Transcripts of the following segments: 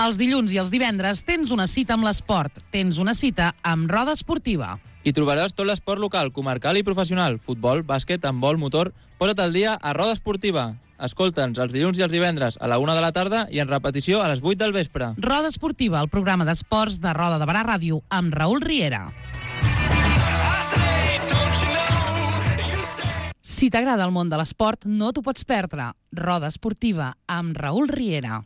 Els dilluns i els divendres tens una cita amb l'esport. Tens una cita amb Roda Esportiva. Hi trobaràs tot l'esport local, comarcal i professional. Futbol, bàsquet, handbol, motor... Posa't al dia a Roda Esportiva. Escolta'ns els dilluns i els divendres a la 1 de la tarda i en repetició a les 8 del vespre. Roda Esportiva, el programa d'esports de Roda de Barà Ràdio amb Raül Riera. Si t'agrada el món de l'esport, no t'ho pots perdre. Roda Esportiva amb Raül Riera.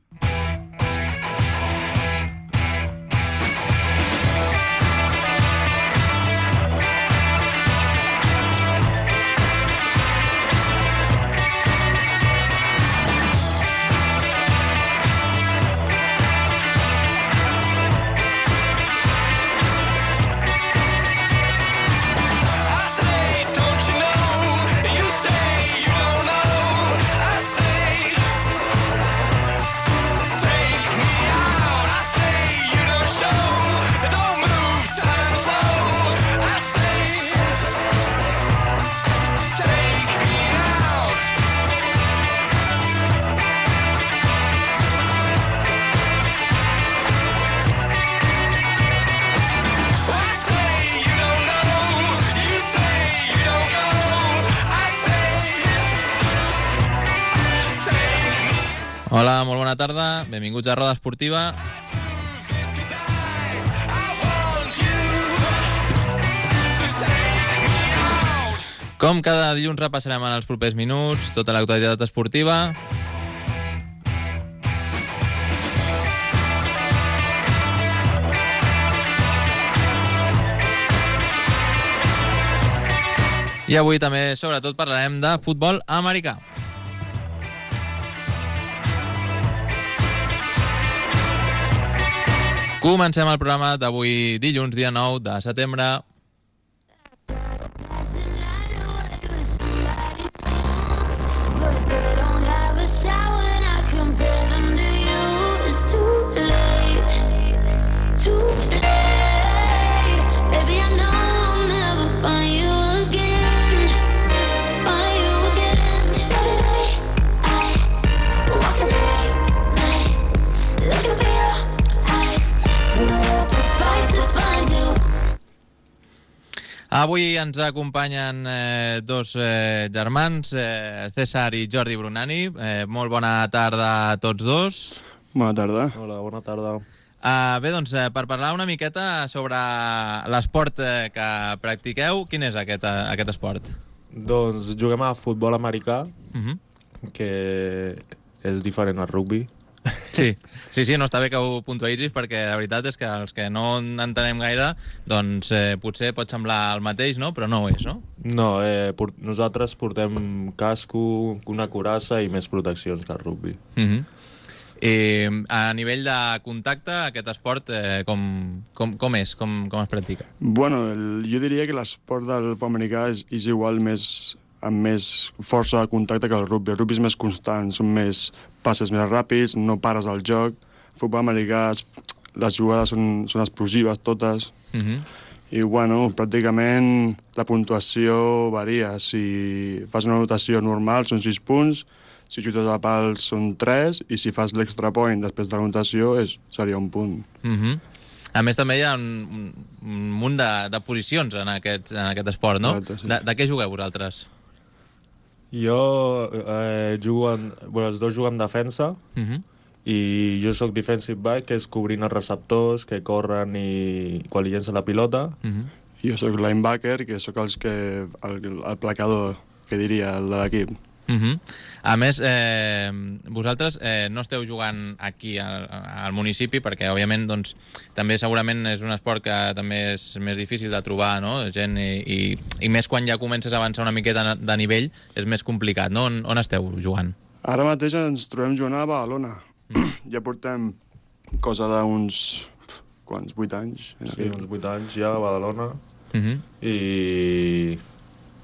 Hola, molt bona tarda. Benvinguts a Roda Esportiva. Com cada dilluns repassarem en els propers minuts tota l'actualitat esportiva. I avui també, sobretot, parlarem de futbol americà. Comencem el programa d'avui dilluns, dia 9 de setembre. Avui ens acompanyen dos germans, César i Jordi Brunani. Molt bona tarda a tots dos. Bona tarda. Hola, bona tarda. Bé, doncs, per parlar una miqueta sobre l'esport que practiqueu, quin és aquest esport? Doncs juguem a futbol americà, que és diferent al rugby. Sí, no està bé que ho puntualitzis perquè la veritat és que els que no entenem gaire doncs potser pot semblar el mateix, no? Però no ho és, no? No, nosaltres portem casco, una coraça i més proteccions que el rugby. I a nivell de contacte, aquest esport com és? Com es practica? Bueno, jo diria que l'esport del futbol americà és igual amb més força de contacte que el rugby. El rugby és més constant, són més passes més ràpids, no pares al joc. El futbol americà, les jugades són explosives totes. I, bueno, pràcticament la puntuació varia. Si fas una anotació normal són 6 punts, si xutes a pals són 3, i si fas l'extra point després de l'anotació seria 1 punt. A més, també hi ha un munt de posicions en aquest esport, no? Exacte, sí. De què jugueu vosaltres? Jo jugo els dos juguem defensa i jo sóc defensive back, que és cobrint els receptors que corren i quan li llença la pilota. Jo sóc linebacker, que sóc el placador, que diria, el de l'equip. A més, vosaltres no esteu jugant aquí al municipi perquè, òbviament, doncs, també segurament és un esport que també és més difícil de trobar, no? Gent i més quan ja comences a avançar una miqueta de nivell és més complicat, no? On esteu jugant? Ara mateix ens trobem jugant a Badalona. Ja portem cosa d'uns 8 anys. Sí, uns 8 anys ja a Badalona. I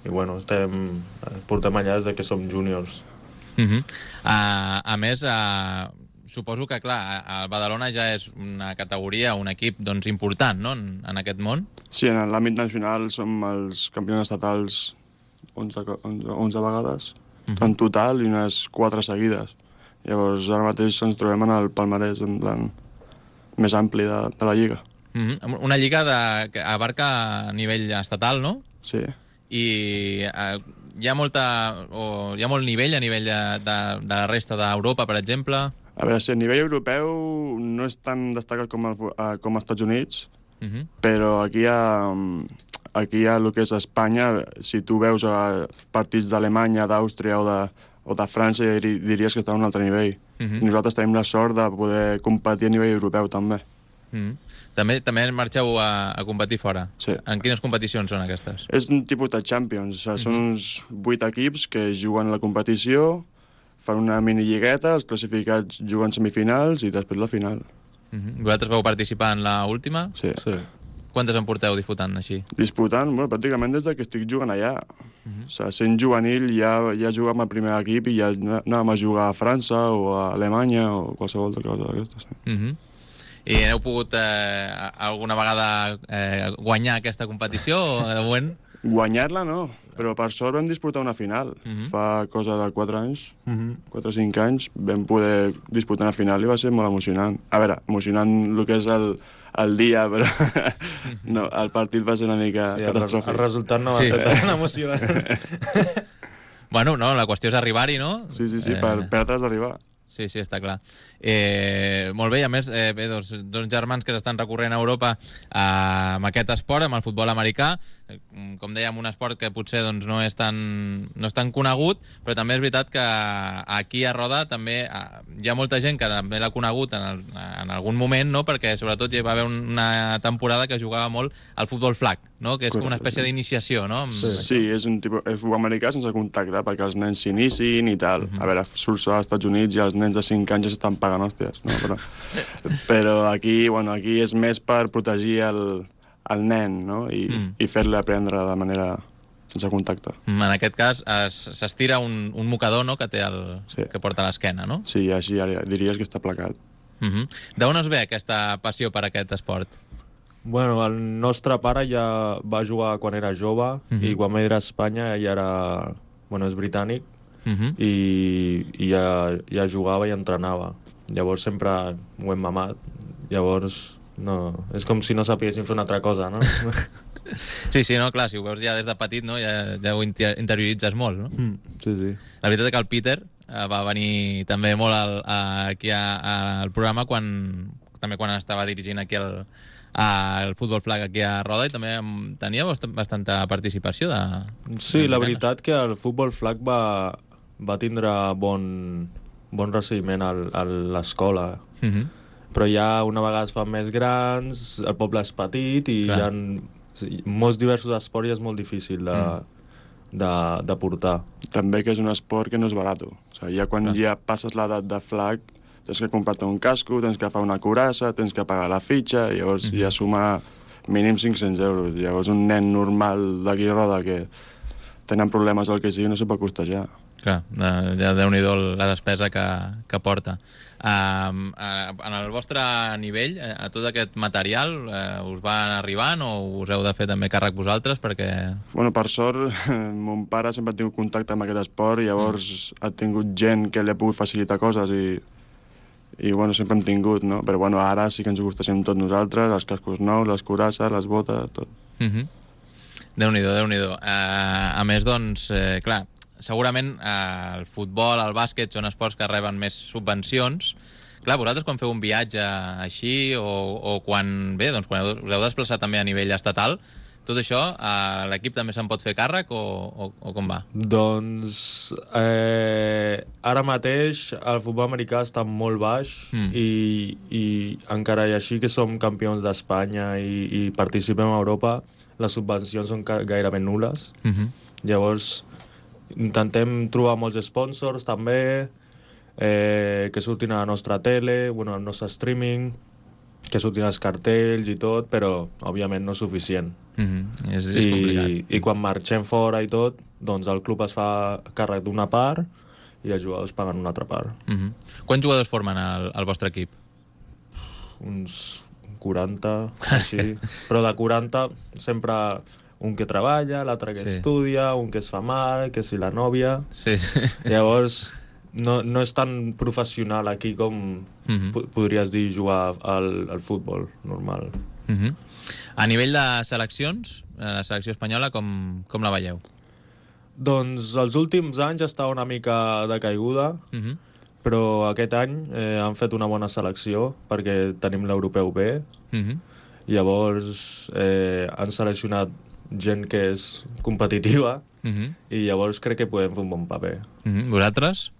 bueno, portem allà des que som júniors. A més, suposo que, clar, el Badalona ja és una categoria, un equip doncs, important, no?, en aquest món. Sí, en l'àmbit nacional som els campions estatals 11 vegades, en total, i unes 4 seguides. Llavors, ara mateix ens trobem en el palmarès, en plan, més ampli de la lliga. Una lliga que abarca a nivell estatal, no? Sí. I hi ha molt nivell a nivell de la resta d'Europa, per exemple? A veure, si a nivell europeu no és tan destacat com als Estats Units, però aquí hi ha el que és Espanya. Si tu veus partits d'Alemanya, d'Àustria o de França, diries que està a un altre nivell. Nosaltres tenim la sort de poder competir a nivell europeu, també. També marxeu a competir fora? Sí. En quines competicions són aquestes? És un tipus de Champions. Són uns 8 equips que juguen la competició, fan una minilligueta, els classificats juguen semifinals i després la final. Vosaltres vau participar en l'última? Sí. Quantes en porteu disputant així? Disputant, bueno, pràcticament des que estic jugant allà. O sigui, sent juvenil ja jugàvem al primer equip i ja anàvem a jugar a França o a Alemanya o qualsevol cosa d'aquestes. I heu pogut alguna vegada guanyar aquesta competició o de moment? Guanyar-la no, però per sort vam disputar una final. Fa cosa de 4 anys, 4 o 5 anys, vam poder disputar una final i va ser molt emocionant. A veure, emocionant el que és el dia, però no, el partit va ser una mica catastròfic. El resultat no va ser tan emocionant. Bueno, no, la qüestió és arribar-hi, no? Sí, per perdre has d'arribar. Sí, està clar. Molt bé, i a més, dos germans que s'estan recorrent a Europa amb aquest esport, amb el futbol americà. Com dèiem, un esport que potser no és tan conegut, però també és veritat que aquí a Roda també hi ha molta gent que també l'ha conegut en algun moment, no? Perquè sobretot hi va haver una temporada que jugava molt al futbol flag, no? Que és com una espècie d'iniciació, no? Sí, és un tipus de futbol americà sense contacte, perquè els nens s'iniciïn i tal. A veure, surts als Estats Units i els nens de 5 anys ja s'estan pagant hòsties, no? Però aquí és més per protegir el nen, no? I fer-lo aprendre de manera sense contacte. En aquest cas s'estira un mocador, no?, que té que porta a l'esquena, no? Sí, així diries que està placat. D'on us ve aquesta passió per aquest esport? Bueno, el nostre pare ja va jugar quan era jove i quan va ir a Espanya ja era... Bueno, és britànic i ja jugava i entrenava. Llavors sempre ho hem mamat. Llavors, no... És com si no sapiguéssim fer una altra cosa, no? Sí, no, clar, si ho veus ja des de petit, no? Ja ho interioritzes molt, no? Sí. La veritat és que el Peter va venir també molt aquí al programa quan estava dirigint aquí el futbol flag aquí a Roda i també tenia bastanta participació Sí, la veritat que el futbol flag va tindre bon recibiment a l'escola. Però ja una vegada es fan més grans, el poble és petit i hi ha molts diversos esports i és molt difícil de portar. També que és un esport que no és barat. O sigui, ja quan ja passes l'edat de flag tens que comprar-te un casco, tens que agafar una curassa, tens que pagar la fitxa, i llavors ja suma mínim 500 euros. Llavors un nen normal d'aquí a Roda que tenen problemes o el que sigui no s'ho pot costejar. Clar, ja Déu-n'hi-do la despesa que porta. En el vostre nivell, a tot aquest material, us van arribant o us heu de fer també càrrec vosaltres? Perquè... Bueno, per sort, mon pare sempre ha tingut contacte amb aquest esport i llavors ha tingut gent que li ha pogut facilitar coses i bueno, sempre hem tingut, no? Però bueno, ara sí que ens ho gustéssim tots nosaltres, els cascos nous, les curasses, les botes, tot. Déu-n'hi-do, Déu-n'hi-do. A més, doncs, clar, segurament el futbol, el bàsquet són esports que reben més subvencions. Clar, vosaltres quan feu un viatge així o quan us heu desplaçat també a nivell estatal, tot això, l'equip també se'n pot fer càrrec o com va? Doncs ara mateix el futbol americà està molt baix i encara i així que som campions d'Espanya i participem a Europa, les subvencions són gairebé nul·les. Llavors intentem trobar molts sponsors també que surtin a la nostra tele, al nostre streaming, que surtin els cartells i tot, però òbviament no és suficient. És complicat. I quan marxem fora i tot, doncs el club es fa càrrec d'una part i els jugadors paguen una altra part. Quants jugadors formen el vostre equip? Uns 40, així. Però de 40 sempre un que treballa, l'altre que estudia, un que es fa mal, que si la nòvia... Sí. Llavors no és tan professional aquí com podries dir jugar al futbol normal. A nivell de seleccions, la selecció espanyola, com la veieu? Doncs els últims anys està una mica de caiguda, però aquest any han fet una bona selecció perquè tenim l'europeu B. Llavors han seleccionat gent que és competitiva i llavors crec que podem fer un bon paper. Vosaltres?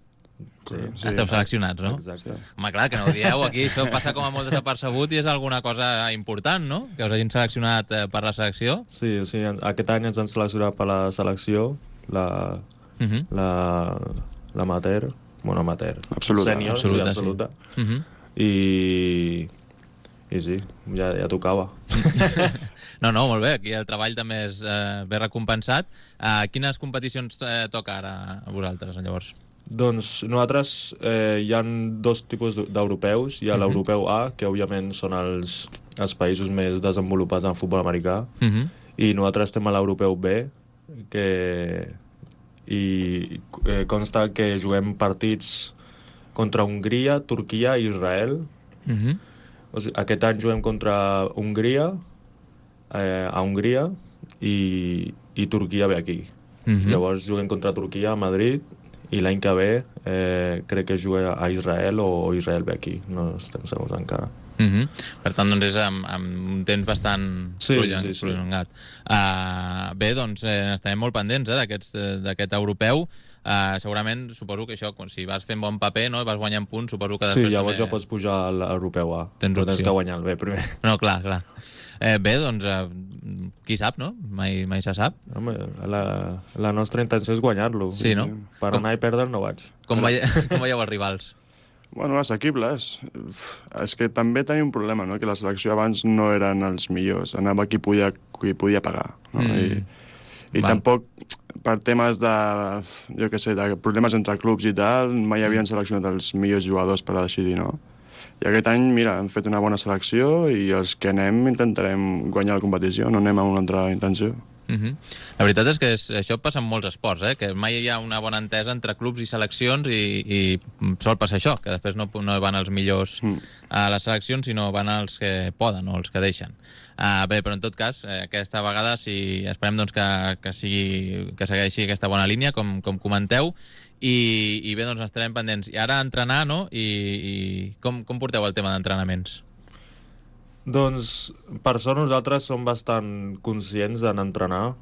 Sí. Esteu seleccionats, no? Exacte. Home, clar, que no ho dieu aquí, això passa com a molt desapercebut i és alguna cosa important, no? Que us hagin seleccionat per la selecció. Sí, aquest any ens han seleccionat per la selecció, l'amateur, bueno, amateur, Absoluta. sènior, absoluta. I sí, ja tocava. No, molt bé, aquí el treball també és ben recompensat. Quines competicions toca ara a vosaltres, llavors? Doncs nosaltres hi ha dos tipus d'europeus. Hi ha l'europeu A, que òbviament són els països més desenvolupats en futbol americà, i nosaltres estem a l'europeu B, i consta que juguem partits contra Hongria, Turquia i Israel. O sigui, aquest any juguem contra Hongria, a Hongria, i Turquia ve aquí. Llavors juguem contra Turquia a Madrid, i l'any que ve crec que juga a Israel o Israel ve aquí, no estem segurs encara. Per tant, doncs és amb un temps bastant prolongat. Bé, doncs estarem molt pendents d'aquest europeu. Segurament, suposo que això, si vas fent bon paper, no, i vas guanyant punts, suposo que després... Sí, llavors ja pots pujar a l'europeu A. Tens que guanyar el B primer. No, clar. Bé, doncs, qui sap, no? Mai se sap. Home, la nostra intenció és guanyar-lo. Sí, no? Per anar i perdre no vaig. Com veieu els rivals? Bueno, assequibles. És que també tenia un problema, no? Que la selecció abans no eren els millors. Anava qui podia pagar. No? I tampoc, per temes de, jo què sé, de problemes entre clubs i tal, mai havien seleccionat els millors jugadors per a decidir, no? I aquest any, mira, hem fet una bona selecció i els que anem intentarem guanyar la competició, no anem amb una altra intenció. La veritat és que això passa en molts esports, que mai hi ha una bona entesa entre clubs i seleccions i sol passar això, que després no van els millors a les seleccions, sinó van els que poden o els que deixen. Bé, però en tot cas, aquesta vegada esperem doncs, que segueixi aquesta bona línia, com comenteu, i bé, doncs estarem pendents. I ara entrenar, no? I com porteu el tema d'entrenaments? Doncs, per sort, nosaltres som bastant conscients en entrenar.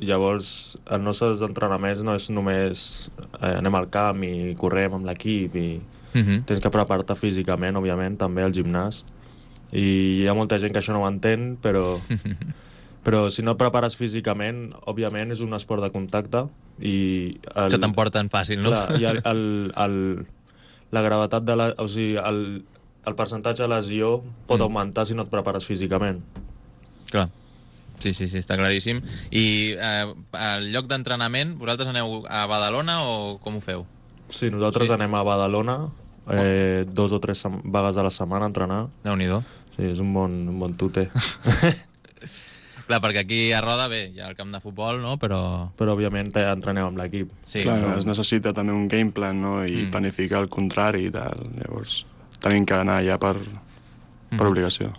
Llavors, els nostres entrenaments no és només anem al camp i correm amb l'equip i tens que preparar-te físicament, òbviament, també al gimnàs. I hi ha molta gent que això no ho entén, però si no et prepares físicament, òbviament és un esport de contacte i... Això t'emporten fàcil, no? Clar, i la gravetat de la... O sigui, el percentatge de lesió pot augmentar si no et prepares físicament. Clar. Sí, està claríssim. I al lloc d'entrenament, vosaltres aneu a Badalona o com ho feu? Sí, nosaltres anem a Badalona 2 o 3 vegades a la setmana a entrenar. Déu-n'hi-do. Sí, és un bon tute. Clar, perquè aquí a Roda, bé, hi ha el camp de futbol, no? Però òbviament entreneu amb l'equip. Sí, clar, es necessita també un game plan, no? I planificar el contrari i tal. Llavors, tenim que anar allà per obligació.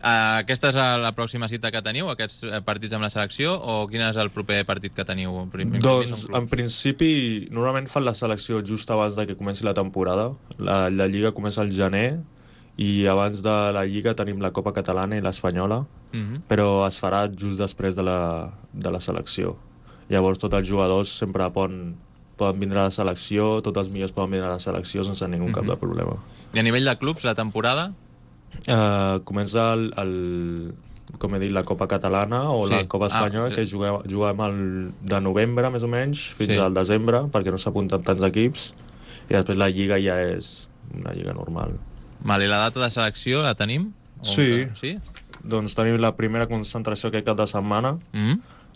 Aquesta és la pròxima cita que teniu, aquests partits amb la selecció, o quin és el proper partit que teniu? Doncs, en principi, normalment fan la selecció just abans de que comenci la temporada. La Lliga comença al gener, i abans de la Lliga tenim la Copa Catalana i l'Espanyola, però es farà just després de la selecció. Llavors tots els jugadors sempre poden vindre a la selecció, tots els millors poden vindre a la selecció sense ningú cap de problema. I a nivell de clubs, la temporada? Comença com he dit, la Copa Catalana o la Copa Espanyola, que juguem de novembre, més o menys, fins al desembre, perquè no s'apunten tants equips, i després la Lliga ja és una Lliga normal. I la data de selecció la tenim? Sí. Doncs tenim la primera concentració aquest cap de setmana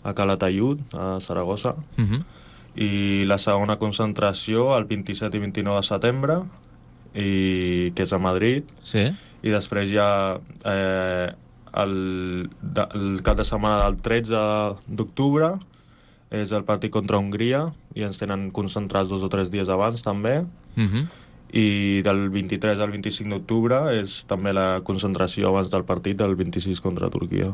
a Calatayud, a Saragossa, i la segona concentració el 27 i 29 de setembre, que és a Madrid, i després ja el cap de setmana del 13 d'octubre és el partit contra Hongria, i ens tenen concentrats 2 o 3 dies abans, també. I del 23 al 25 d'octubre és també la concentració abans del partit del 26 contra Turquia.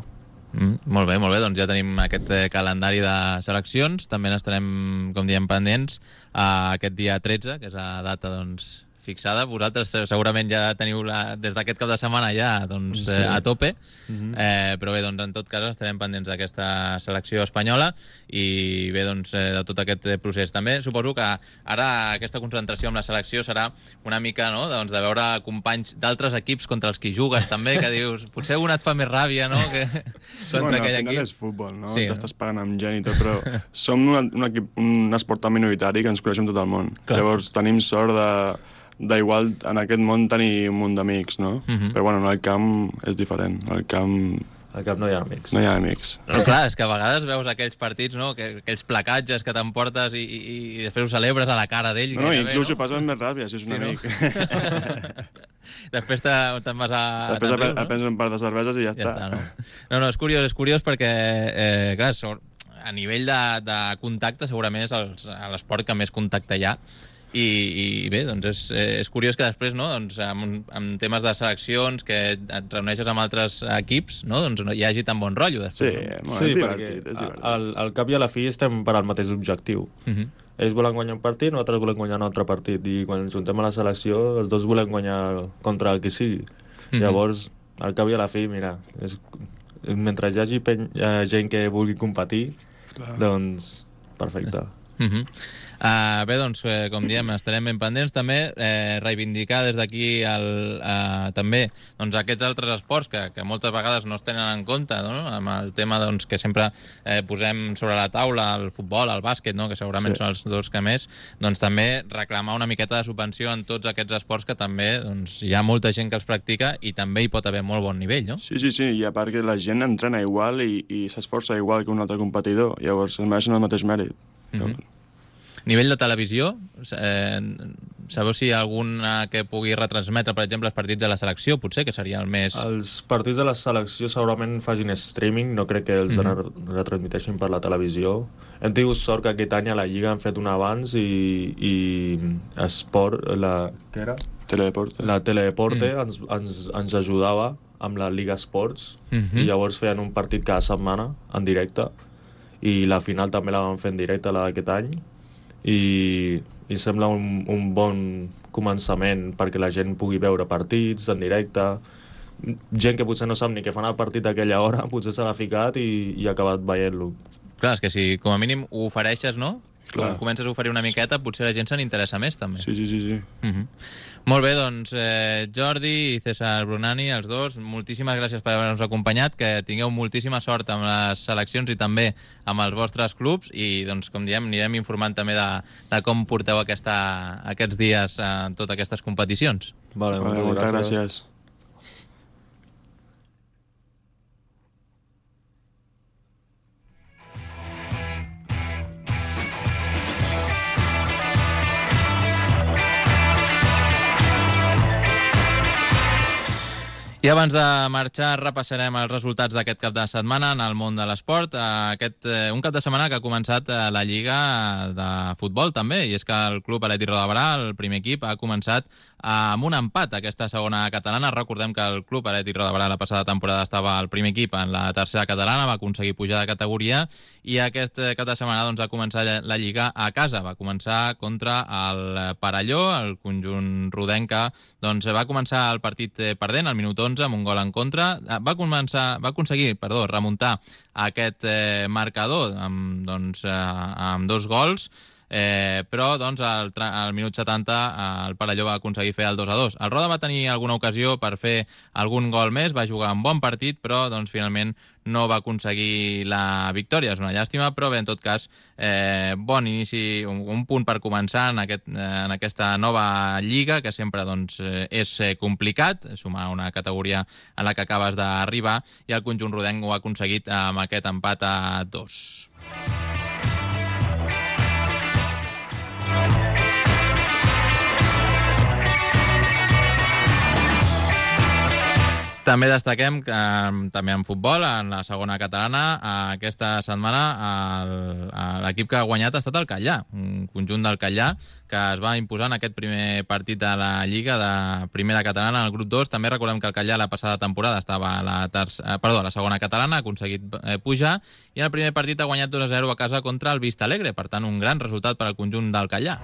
Molt bé, doncs ja tenim aquest calendari de seleccions. També n'estarem, com diem, pendents aquest dia 13, que és la data, doncs, fixada. Vosaltres segurament ja teniu des d'aquest cap de setmana ja doncs, sí. A tope, però bé, doncs, en tot cas estarem pendents d'aquesta selecció espanyola i bé, doncs, de tot aquest procés. També suposo que ara aquesta concentració amb la selecció serà una mica, no?, doncs, de veure companys d'altres equips contra els que jugues també, que dius, potser algun et fa més ràbia, no?, que sí, bueno, al final és futbol, no? Sí, t'estàs pagant amb gent i tot, però som un esport tan minoritari que ens coneixem tot el món. Clar. Llavors tenim sort d'igual en aquest món tenir un munt d'amics, no? Però bueno, en el camp és diferent. Al camp no hi ha amics. No hi ha amics. Però clar, és que a vegades veus aquells partits, no?, aquells placatges que t'emportes i després ho celebres a la cara d'ell. No, inclús ho fas amb més ràbia, si és un amic. No? Després te'n vas a... Després prens un par de cerveses i ja està. No, és curiós perquè, clar, a nivell de contacte segurament és l'esport que més contacte hi ha. I bé, doncs és curiós que després, no, doncs, amb temes de seleccions, que et reuneixes amb altres equips, no, doncs hi hagi tan bon rotllo després. Sí, no? És divertit. Al cap i a la fi estem per al mateix objectiu. Ells volen guanyar un partit, nosaltres volem guanyar un altre partit, i quan ens juntem a la selecció els dos volem guanyar contra el qui sigui. Llavors, al cap i a la fi, mira, mentre hi hagi gent que vulgui competir, doncs perfecte. Bé, doncs, com diem, estarem ben pendents també, reivindicar des d'aquí també doncs, aquests altres esports que moltes vegades no es tenen en compte, no?, amb el tema doncs, que sempre posem sobre la taula, el futbol, el bàsquet, no?, que segurament són els dos que més, doncs també reclamar una miqueta de subvenció en tots aquests esports que també doncs, hi ha molta gent que els practica i també hi pot haver molt bon nivell, no? Sí, i a part que la gent entrena igual i s'esforça igual que un altre competidor, llavors es mereixen el mateix mèrit. Nivell de televisió, sabeu si hi ha alguna que pugui retransmetre, per exemple, els partits de la selecció, potser, que seria el més... Els partits de la selecció segurament facin streaming, no crec que els retransmiteixin per la televisió. Hem tingut sort que aquest any a la Lliga han fet un abans i Esport, què era? Teledeporte. La Teledeporte ens ajudava amb la Liga Esports i llavors feien un partit cada setmana en directe i la final també la van fer en directe, la d'aquest any. I sembla un bon començament perquè la gent pugui veure partits en directe. Gent que potser no sap ni què fan el partit a aquella hora, potser se l'ha ficat i ha acabat veient-lo. Clar, és que si com a mínim ho ofereixes, no? Clar. Comences a oferir una miqueta, potser la gent se n'interessa més, també. Sí. Molt bé, doncs, Jordi i César Brunani, els dos, moltíssimes gràcies per haver-nos acompanyat, que tingueu moltíssima sort amb les seleccions i també amb els vostres clubs i, doncs, com diem, anirem informant també de com porteu aquests dies en totes aquestes competicions. Vale, moltes gràcies. I abans de marxar repassarem els resultats d'aquest cap de setmana en el món de l'esport. Un cap de setmana que ha començat la Lliga de futbol també, i és que el Club Atlètic Roda, el primer equip, ha començat amb un empat aquesta segona catalana. Recordem que el Club Atlètic Roda la passada temporada estava al primer equip en la tercera catalana, va aconseguir pujar de categoria i aquest cap de setmana doncs, ha començat la Lliga a casa. Va començar contra el Parelló, el conjunt rodenca doncs, va començar el partit perdent al minut 11 amb un gol en contra. Va aconseguir remuntar aquest marcador amb 2 gols, però doncs, al minut 70 el Parelló va aconseguir fer el 2-2. El Roda va tenir alguna ocasió per fer algun gol més, va jugar un bon partit, però doncs, finalment no va aconseguir la victòria. És una llàstima, però bé, en tot cas, bon inici, un punt per començar en aquesta nova lliga, que sempre doncs, és complicat, sumar una categoria en la que acabes d'arribar, i el conjunt rodenc ho ha aconseguit amb aquest empat a 2. També destaquem que també en futbol, en la segona catalana, aquesta setmana l'equip que ha guanyat ha estat el Catllà, un conjunt del Catllà que es va imposar en aquest primer partit de la Lliga de primera catalana en el grup 2. També recordem que el Catllà la passada temporada estava a la segona catalana, ha aconseguit pujar, i en el primer partit ha guanyat 2-0 a casa contra el Vista Alegre, per tant un gran resultat per al conjunt del Catllà.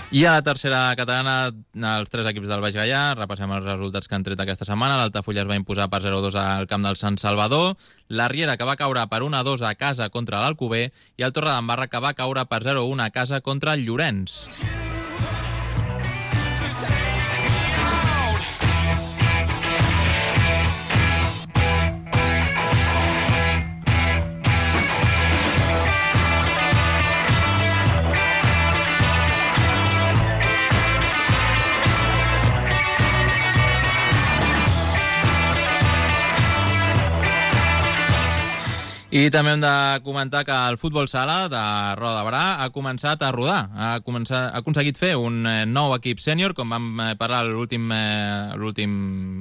I a la tercera catalana, els 3 equips del Baix Gaià, repassem els resultats que han tret aquesta setmana. L'Altafulla es va imposar per 0-2 al camp del Sant Salvador, la Riera, que va caure per 1-2 a casa contra l'Alcover, i el Torredembarra, que va caure per 0-1 a casa contra el Llorenç. I també hem de comentar que el futbol sala de Roda de Berà ha començat a rodar. Ha aconseguit fer un nou equip sènior, com vam parlar a l'últim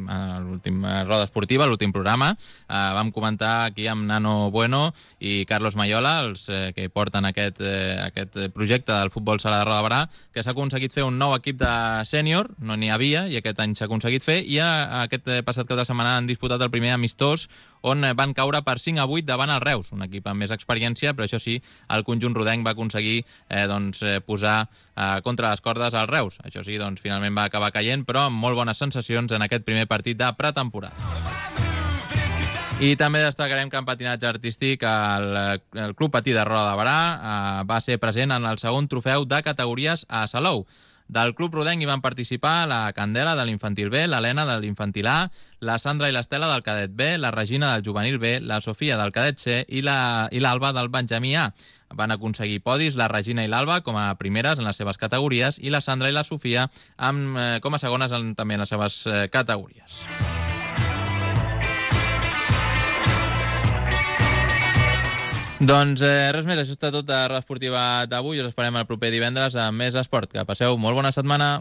roda esportiva, l'últim programa. Vam comentar aquí amb Nano Bueno i Carlos Mayola, els que porten aquest projecte del futbol sala de Roda de Berà, que s'ha aconseguit fer un nou equip de sènior, no n'hi havia, i aquest any s'ha aconseguit fer, i aquest passat cap de setmana han disputat el primer amistós, on van caure per 5-8 davant el Reus, un equip amb més experiència, però això sí, el conjunt rodenc va aconseguir posar contra les cordes al Reus. Això sí, finalment va acabar caient, però amb molt bones sensacions en aquest primer partit de pretemporada. I també destacarem que en patinatge artístic el Club Patí de Roda de Berà va ser present en el segon trofeu de categories a Salou. Del Club Rodenc hi van participar la Candela de l'Infantil B, l'Helena de l'Infantil A, la Sandra i l'Estela del Cadet B, la Regina del Juvenil B, la Sofia del Cadet C i l'Alba del Benjamí A. Van aconseguir podis la Regina i l'Alba com a primeres en les seves categories i la Sandra i la Sofia com a segones també en les seves categories. Doncs res més, això està tot de Roda Esportiva d'avui. Us esperem el proper divendres amb més esport. Que passeu molt bona setmana.